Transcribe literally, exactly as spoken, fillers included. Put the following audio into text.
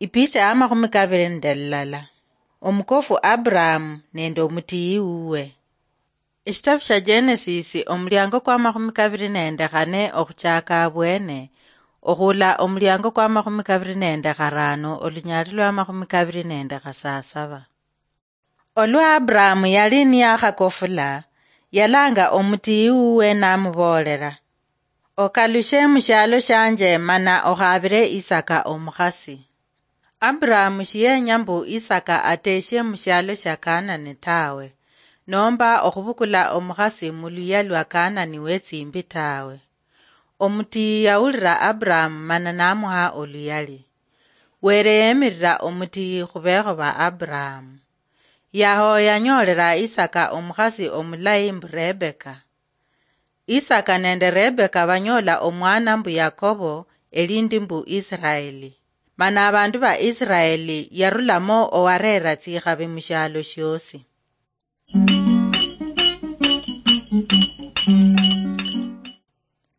Ipicha ya makhumi kabiri nende lulala. Omukofu Abrahamu nende omutiyi wuwe. Eshitabu sha Genesis, omuliango kwa makhumi kabiri nende khane okhuchaka abwene, okhula omuliango kwa makhumi kabiri nende kharano, olunyali lwa makhumi kabiri nende khasasaba. Olwa Abrahamu yali niyakhakofula, yalanga omutiyi wuwe namuboolera, "Okalushe mushialo shianje mana okhabire Isaka omukhasi." Abrahamu shiyenya mbu Isaka ateshie mushialo shia Kanani tawe, nomba okhubukula omukhasi muluya lwa Kanani wetsimbi tawe. Omutiyi yawulira Abrahamu mana namuha oluyali. Were yemirira omutiyi khubeekho ba Abrahamu. Yaho yanyoolera Isaka omukhasi omulayi mbu Rebeka. Isaka nende Rebeka banyoola omwana mbu Yakobo, elindi mbu Isiraeli. Mana abandu ba Isiraeli yarulamo owareera tsikhabi mushialo shiosi.